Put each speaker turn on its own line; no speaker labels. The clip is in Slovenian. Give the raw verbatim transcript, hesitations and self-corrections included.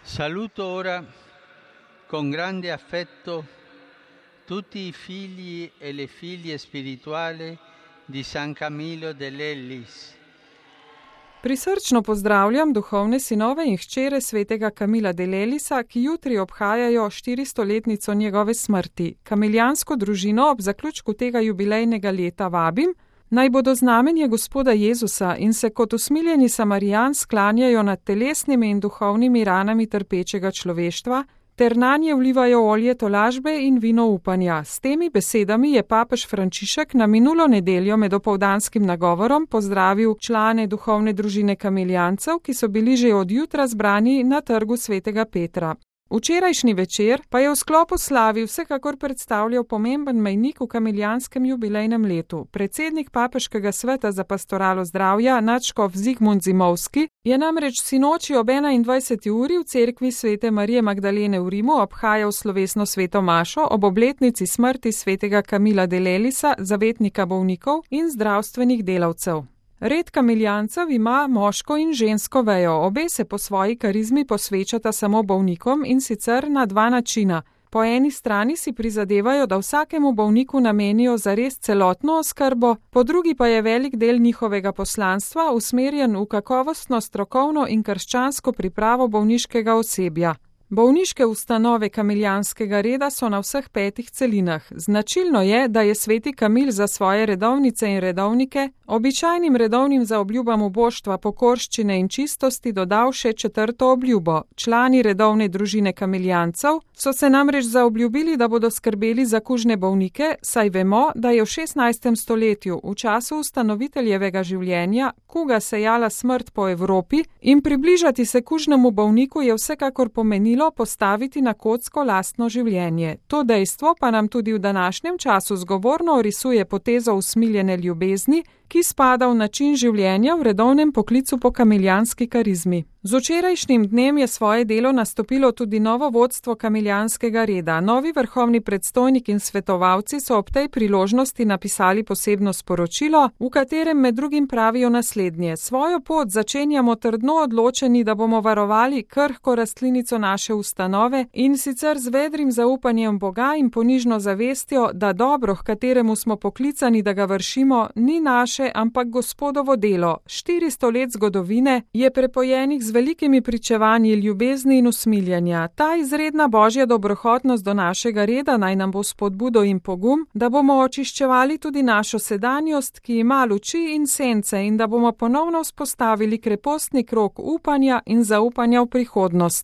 Saluto ora con grande affetto tutti i figli e le figlie spirituali di San Camillo dell'Ellis.
Prisrčno pozdravljam duhovne sinove in hčere svetega Kamila dell'Ellisa, ki jutri obhajajo štiristoletnico njegove smrti. Kamiljansko družino ob zaključku tega jubilejnega leta vabim, naj bodo znamenje Gospoda Jezusa in se kot usmiljeni Samarijan sklanjajo nad telesnimi in duhovnimi ranami trpečega človeštva, ter nanje vlivajo olje tolažbe in vino upanja. S temi besedami je papež Frančišek na minulo nedeljo med opoldanskim nagovorom pozdravil člane duhovne družine kamiljancev, ki so bili že od jutra zbrani na trgu svetega Petra. Včerajšnji večer pa je v sklopu slavi vsekakor predstavljal pomemben mejnik v kamiljanskem jubilejnem letu. Predsednik papeškega sveta za pastoralo zdravja, nadškof Zigmund Zimovski, je namreč sinoči ob enaindvajseti uri v cerkvi svete Marije Magdalene v Rimu obhajal slovesno sveto mašo ob obletnici smrti svetega Kamila dell'Ellisa, zavetnika bolnikov in zdravstvenih delavcev. Red kamiljancev ima moško in žensko vejo, obe se po svoji karizmi posvečata samo bolnikom in sicer na dva načina. Po eni strani si prizadevajo, da vsakemu bolniku namenijo zares celotno oskrbo, po drugi pa je velik del njihovega poslanstva usmerjen v kakovostno, strokovno in krščansko pripravo bolniškega osebja. Bolniške ustanove kamiljanskega reda so na vseh petih celinah. Značilno je, da je sveti Kamil za svoje redovnice in redovnike običajnim redovnim zaobljubam uboštva, pokorščine in čistosti dodal še četrto obljubo. Člani redovne družine kamiljancev so se namreč zaobljubili, da bodo skrbeli za kužne bolnike, saj vemo, da je v šestnajstem stoletju, v času ustanoviteljevega življenja, kuga sejala smrt po Evropi in približati se kužnemu bolniku je vsekakor pomenilo postaviti na kocko lastno življenje. To dejstvo pa nam tudi v današnjem času zgovorno orisuje potezo usmiljene ljubezni, ki spada v način življenja v redovnem poklicu po kamiljanski karizmi. Z včerajšnjim dnem je svoje delo nastopilo tudi novo vodstvo kamiljanskega reda. Novi vrhovni predstojnik in svetovalci so ob tej priložnosti napisali posebno sporočilo, v katerem med drugim pravijo naslednje. Svojo pot začenjamo trdno odločeni, da bomo varovali krhko rastlinico naše ustanove in sicer z vedrim zaupanjem Boga in ponižno zavestjo, da dobro, h kateremu smo poklicani, da ga vršimo, ni naše, ampak Gospodovo delo. Štiristo let zgodovine je prepojenih z velikimi pričevanji ljubezni in usmiljanja. Ta izredna božja dobrohotnost do našega reda naj nam bo spodbudo in pogum, da bomo očiščevali tudi našo sedanjost, ki ima luči in sence, in da bomo ponovno vzpostavili krepostni krog upanja in zaupanja v prihodnost.